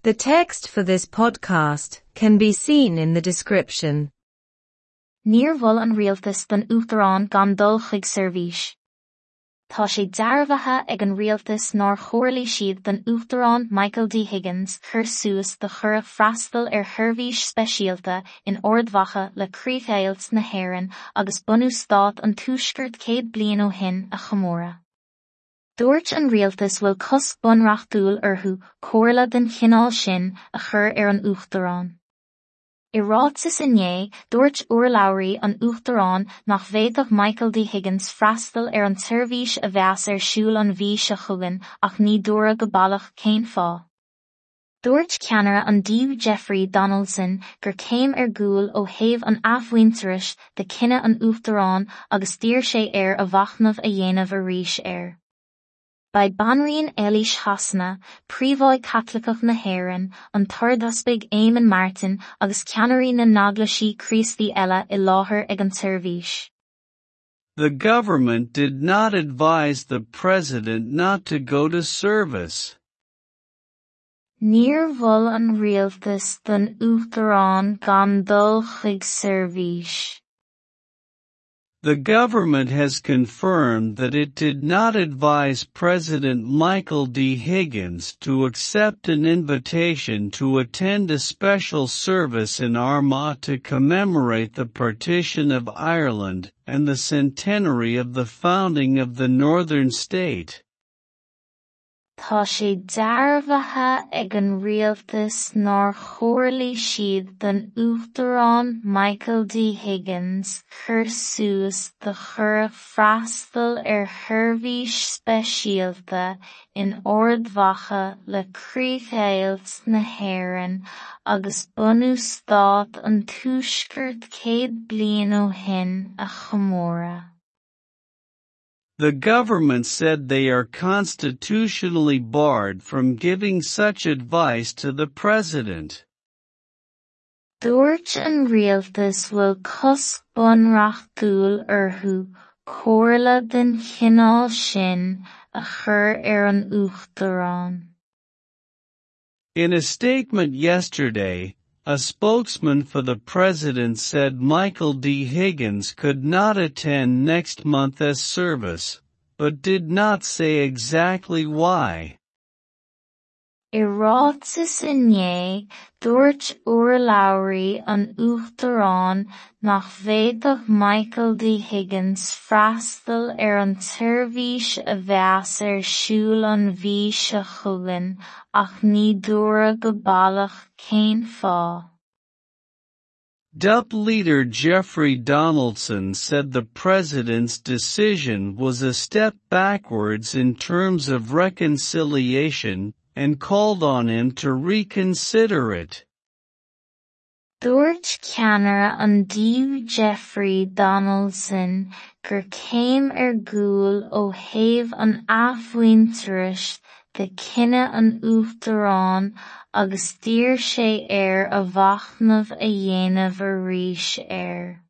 The text for this podcast can be seen in the description. Níor mhol an rialtas don Uachtarán gan dul chuig seirbhís. Tá sé dearbhaithe ag an rialtas nár chomhairligh siad don Uachtarán Michael D. Higgins cur suas do chuireadh freastal ar sheirbhís speisialta in Ard Mhacha le críochdheighilt na hÉireann agus bunú Stát an Tuaiscirt 100 bliain ó shin a chomóradh. Dúirt an rialtas bhfuil cosc bunreachtúil orthu comhairle den chineál sin a chur ar an Uachtarán. I ráiteas inné, dúirt urlabhraí an Uachtaráin nach bhféadfadh Michael D. Higgins freastal ar an tseirbhís a bheas ar siúl an mhí seo chugainn ach ní dúradh go baileach cén fáth. Dúirt ceannaire an DUP Jeffrey Donaldson gur céim ar gcúl ó thaobh an athmhuintearais de cinneadh an Uachtaráin agus d'iarr sé air a mhachnamh a dhéanamh arís air. Beidh Banríon Eilís Shasana, Príomháidh Caitliceach na hÉireann, an tArdeaspag Éamon Martin agus ceannairí na n-eaglaisí Críostaí eile i láthair ag an tseirbhís. The government did not advise the president not to go to service. Níor mhol an rialtas don Uachtarán gan dul chuig seirbhís. The government has confirmed that it did not advise President Michael D. Higgins to accept an invitation to attend a special service in Armagh to commemorate the partition of Ireland and the centenary of the founding of the Northern State. Tá sé dearbhaithe ag an rialtas nár chomhairligh siad don Uachtarán Michael D. Higgins cur suas do chuireadh freastal ar sheirbhís speisialta in Ard Mhacha le críochdheighilt na hÉireann agus bunú Stát an Tuaiscirt 100 bliain ó shin a chomóradh. The government said they are constitutionally barred from giving such advice to the president. Dúirt an rialtas bhfuil cosc bunreachtúil orthu comhairle den chineál sin a chur ar an Uachtarán. In a statement yesterday, a spokesman for the president said Michael D. Higgins could not attend next month's service, but did not say exactly why. I ráiteas inné, dúirt urlabhraí an Uachtaráin nach bhféadfadh Michael D. Higgins freastal ar an tseirbhís a bheas ar siúl an mhí seo chugainn ach ní dúradh go baileach cén fáth. DUP leader Jeffrey Donaldson said the president's decision was a step backwards in terms of reconciliation and called on him to reconsider it. Dúirt ceannaire an DUP Jeffrey Donaldson gur céim ar gcúl ó thaobh an athmhuintearais de chinneadh an Uachtaráin agus d'iarr sé air a mhachnamh a dhéanamh arís air.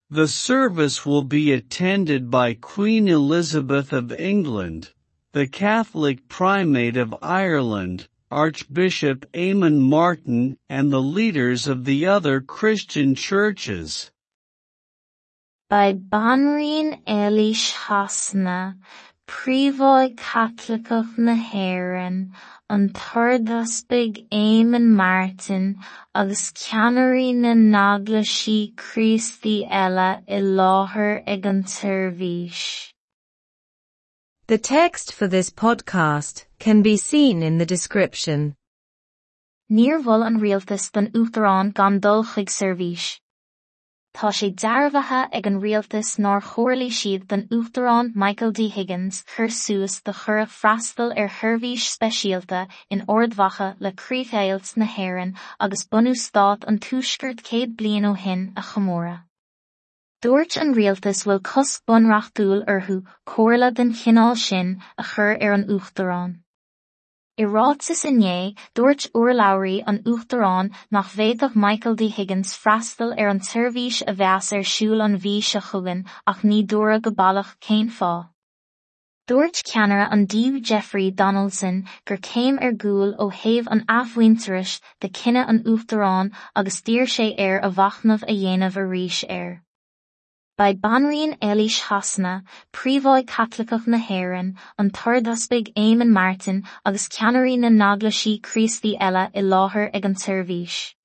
The service will be attended by Queen Elizabeth of England, the Catholic Primate of Ireland, Archbishop Eamon Martin, and the leaders of the other Christian churches. Beidh Banríon Eilís Shasana, Príomháidh Caitliceach na hÉireann, an tArdeaspag Éamon Martin agus ceannairí na n-eaglaisí Críostaí eile i láthair ag an tseirbhís. The text for this podcast can be seen in the description. Níor mhol an rialtas don Uachtarán gan dul chuig seirbhís. Tá sé dearbhaithe ag an rialtas nár chomhairligh siad don Uachtarán Michael D. Higgins cur suas do chuireadh freastal ar sheirbhís speisialta in Ard Mhacha le críochdheighilt na hÉireann agus bunú Stát an Tuaiscirt 100 bliain ó shin a chomóradh. Dúirt an rialtas bhfuil cosc bunreachtúil orthu comhairle den chineál sin a chur ar an Uachtarán. I ráiteas inné, dúirt urlabhraí an Uachtaráin nach bhféadfadh Michael D. Higgins freastal ar an tseirbhís a bheas ar siúl an mhí seo chugainn ach ní dúradh go baileach cén fáth. Dúirt ceannaire an DUP Jeffrey Donaldson gur céim ar gcúl ó thaobh an athmhuintearais de cinneadh an Uachtaráin agus d'iarr sé air a mhachnamh a dhéanamh arís air. Beidh Banríon Eilís Shasana, Príomháidh Caitliceach na hÉireann, an tArdeaspag Éamon Martin agus ceannairí na n-eaglaisí Críostaí eile i láthair ag an tseirbhís.